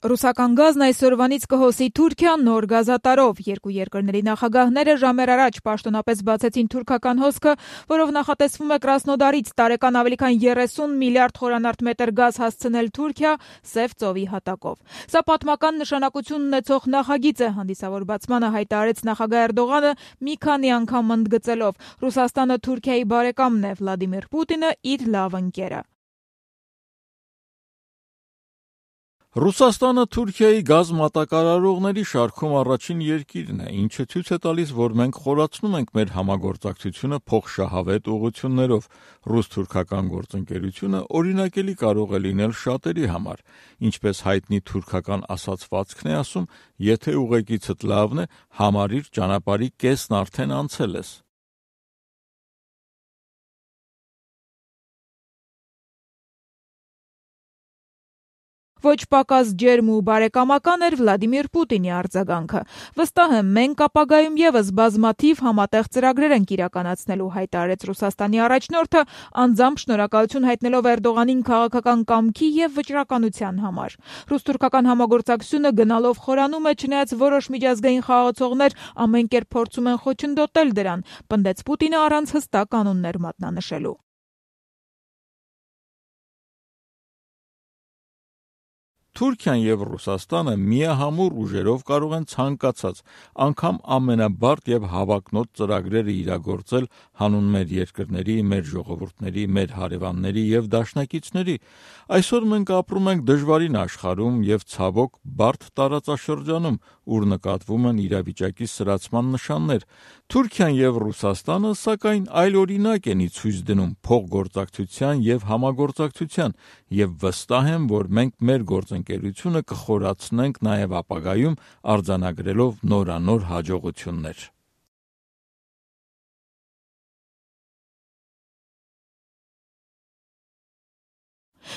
Ռուսական գազն այսօրվանից կհոսի Թուրքիա նոր գազատարով։ Երկու երկրների նախագահները ժամեր առաջ պաշտոնապես բացեցին թուրքական հոսքը, որով նախատեսվում է Կրասնոդարից տարեկան ավելի քան 30 միլիարդ խորանարդ մետր գազ հասցնել Թուրքիա Սև ծովի հատակով։ Սա պատմական նշանակություն ունեցող նախագիծ է, հանդիսավոր բացմանը հայտարարեց նախագահ Էրդողանը մի քանի անգամ ընդգծելով. Ռուսաստանը Թուրքիայի բարեկամն է, Վլադիմիր Պուտինը իր լավ ընկերը։ Ռուսաստանը Թուրքիայի գազ մատակարարողների շարքում առաջին երկիրն է, ինչը ցույց է տալիս, որ մենք խորացնում ենք մեր համագործակցությունը փոխշահավետ ուղղություններով։ Ռուս-թուրքական գործընկերությունը օրինակելի կարող է լինել շատերի համար, ինչպես հայտնի թուրքական ասացվածքն է ասում, եթե ուղեկիցդ լավն է, համարիր ճանապարհի կեսն արդեն անցել ես։ Ոչ պակաս ջերմ ու բարեկամական էր Վլադիմիր Պուտինի արձագանքը։ Վստահ եմ, մենք ապագայում եւս բազմաթիվ համատեղ ծրագրեր ենք իրականացնելու, հայտարարեց Ռուսաստանի առաջնորդը, անձամբ շնորհակալություն հայտնելով Էրդողանին քաղաքական կամքի եւ վճռականության համար։ Ռուս-թուրքական համագործակցությունը գնալով խորանում է, չնայած որոշ միջազգային խաղացողներ ամեն կերպ փորձում են խոչընդոտել դրան, պնդեց Պուտինը առանց հստակ կանոններ մատնանշելու։ Թուրքիան եւ Ռուսաստանը միահամուռ ուժերով կարող են ցանկացած, անգամ ամենաբարդ եւ հավակնոտ ծրագրերը իրագործել հանուն մեր երկրների, մեր ժողովուրդների, մեր հարևանների եւ դաշնակիցների։ Այսօր մենք ապրում ենք դժվարին աշխարհում եւ ցավոք բարդ տարածաշրջանում, ուր նկատվում են իրավիճակի սրացման նշաններ։ Թուրքիան եւ Ռուսաստանը, սակայն, այլ օրինակ են ցույց դնում փոխգործակցության եւ համագործակցության, եւ վստահ եմ, որ մենք մեր գործընկերությունը կխորացնենք նաեւ ապագայում արձանագրելով նորանոր հաջողություններ։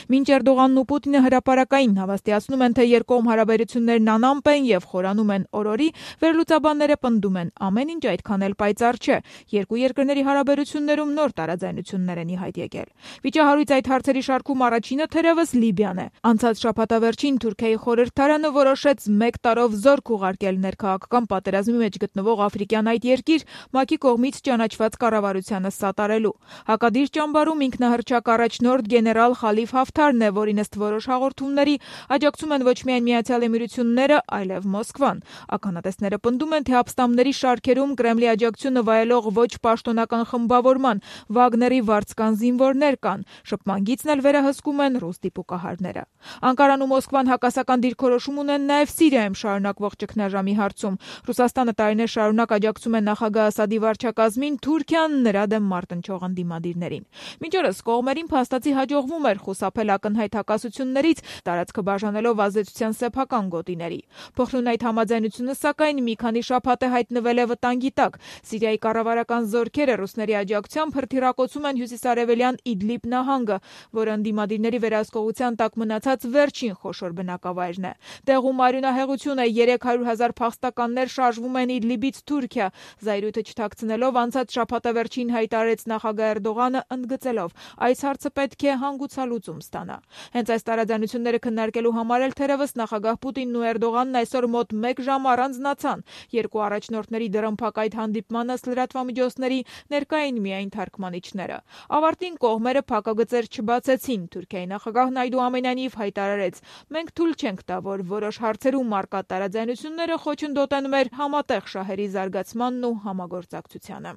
Մինչ Էրդողանն ու Պուտինը հրապարակային հավաստիացնում են, թե երկկողմ հարաբերություններն անամպ են եւ խորանում են օրորի, վերլուծաբանները պնդում են, ամեն ինչ այդքան էլ պայծառ չէ։ Երկու երկրների հարաբերություններում նոր տարաձայնություններ են ի հայտ եկել։ Վիճահարույց այդ հարցերի շարքում առաջինը թերևս Լիբիան է։ Անցած շաբաթավերջին Թուրքիայի խորհրդարանը որոշեց 1 տարով զորք ուղարկել ներքաղաքական պատերազմի մեջ գտնվող աֆրիկյան այդ երկիր ՄԱԿ-ի կողմից ճանաչված կառավարությանը սատարելու։ Հակադիր ճամբարում ինքնահռչակ առաջնորդ գեներալ Խալիֆ Հաֆթարն է, որին ըստ որոշ հաղորդումների աջակցում են ոչ միայն Միացյալ Էմիրությունները, այլև Մոսկվան։ Ականատեսները պնդում են, թե ապստամբների շարքերում Կրեմլի աջակցությունը վայելող ոչ պաշտոնական խմբավորման Վագների վարձկան զինվորներ կան։ Շփման գիծն էլ վերահսկում են ռուս դիպուկահարները։ Անկարան ու Մոսկվան հակասական դիրքորոշում ունեն նաև Սիրիայում շարունակվող ճգնաժամի հարցում։ Ռուսաստանը տարիներ շարունակ աջակցում է նախագահ Ասադի վարչակազմին, Թուրքիան նրա դեմ մարտնչող ընդդիմադիրներին։ Մինչ օրս կողմերին փաստացի հաջողվում էր խուսափել ակնհայտ հակասություններից, տարածքը բաժանելով ազդեցության սեփական գոտիների։ Փոխլուն այդ համաձայնությունը, սակայն, մի քանի շաբաթ է հայտնվել է վտանգի տակ։ Սիրիայի կառավարական զորքերը ռուսների աջակցությամբ հրթիռակոծում են հյուսիսարևելյան Իդլիբ նահանգը, որը ընդդիմադիրների վերահսկողության տակ մնացած վերջին խոշոր բնակավայրն է։ Տեղում արյունահեղություն է, 300,000 փախստականներ շարժվում են Իդլիբից Թուրքիա։ Զայրույթը չթաքցնելով անցած շաբաթավերջին հայտարարեց նախագահ Էրդողանը, ընդգծելով. այս հարցը պետք է հանգուցալուծում ստանա։ Հենց այս տարաձայնությունները քննարկելու համար էլ թերևս նախագահ Պուտինն ու Էրդողանն այսօր մոտ 1 ժամ առանձնացան։ Երկու առաջնորդների դռնփակ այդ հանդիպմանը լրատվամիջոցների ներկա էին միայն թարգմանիչները։ Ավարտին կողմերը փակագծեր չբացեցին։ Թուրքիայի նախագահն այդուամենայնիվ հայտարարեց. մենք թույլ չենք տա, որ որոշ հարցերում առկա տարաձայնությունները խոչընդոտեն մեր համատեղ շահերի զարգացմանն ու համագործակցությանը։